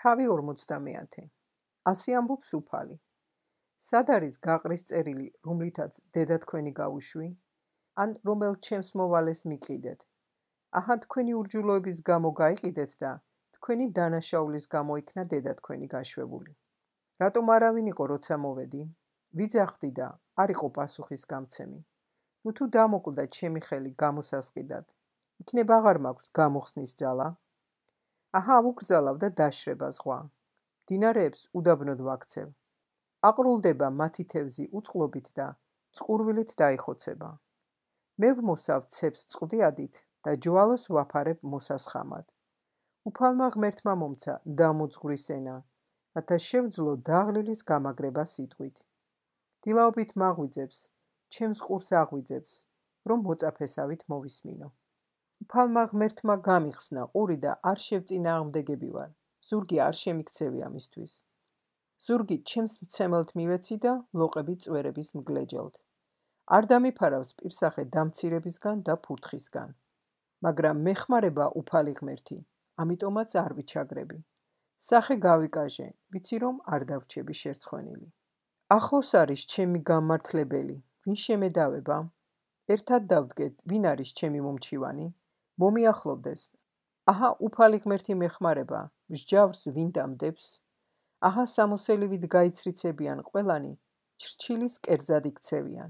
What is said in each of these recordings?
თავი 50. ასე ამბობს უფალი. სად არის გაყრის წერილი, რომლითაც დედა თქვენი გავუშვი? ან რომელ ჩემს მოვალეს მიყიდეთ? აჰა, თქვენი ურჯულოების გამო გაიყიდეთ და თქვენი დანაშაულის გამო იქნა დედა თქვენი გაშვებული. რატომ არავინ იყო, როცა მოვედი? ვიძახდი და არ იყო პასუხის გამცემი. ნუ თუ დამოკლდა ჩემი ხელი გამოსასყიდად, იქნებ აღარ მაქვს გამოხსნის ძალა? აჰა, ვუკრძალავ და დაშრება ზღვა. მდინარეებს უდაბნოდ ვაქცევ. აყრულდება მათი თევზი უწყლობით და წყურვილით დაიხოცება. მე ვმოსავ ცეps წყდიადით და ჯვალოს ვაფარებ მოსასხამად. უფალმა ღმერთმა მომცა დამოძღვრის ენა, რათა შევძლო დაღლილის გამაგრება სიტყვით. დილაობით მაღვიძებს, ჩემს ყურს აღვიძებს, რომ მოწაფესავით მოვისმინო. უფალმა ღმერთმა გამიხსნა ყური და არ შევწინააღმდეგები ვარ, ზურგი არ შემიქცევი ამისთვის. ზურგი ჩემს მცემელთ მივეცი და ლოყები წვერების მგლეჯელთ. არ დამიფარავს პირსახე დამცირებისგან და ფურთხისგან. მაგრამ მეხმარება უფალი ღმერთი, ამიტომაც არ ვიჩაგრები. სახე გავიკაჟე, ვიცი რომ არ დავრჩები შერცხვენილი. ახლოს არის ჩემი გამმართლებელი, ვინ შემედავება? ერთად დავდგეთ, ვინ არის ჩემი მომჩივანი? მომიახლოვდეს. აჰა, უფალი ღმერთი მეხმარება, მსჯავრს ვინ დამდებს? აჰა, სამოსელივით გაიცრიცებიან ყველანი, ჩრჩილის კერძად იქცევიან.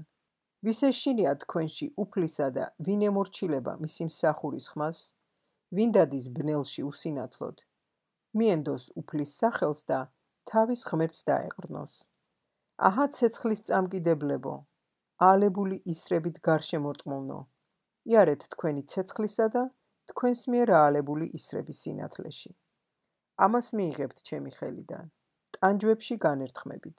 ვის ეშინია თქვენში უფლისა და ვინ ემორჩილება მისი მსახურის ხმას? ვინ დადის ბნელში უსინათლოდ? მიენდოს უფლის სახელს და თავის ღმერთს დაეყრდნოს. აჰა, ცეცხლის წამკიდებლებო, ალებული ისრებით გარშემორტყმულნო, იარეთ თქვენი ცეცხლისა და თქვენს მიერ აალებული ისრების სინათლეში. ამას მიიღებთ ჩემი ხელიდან, ტანჯვებში განერთხმებით.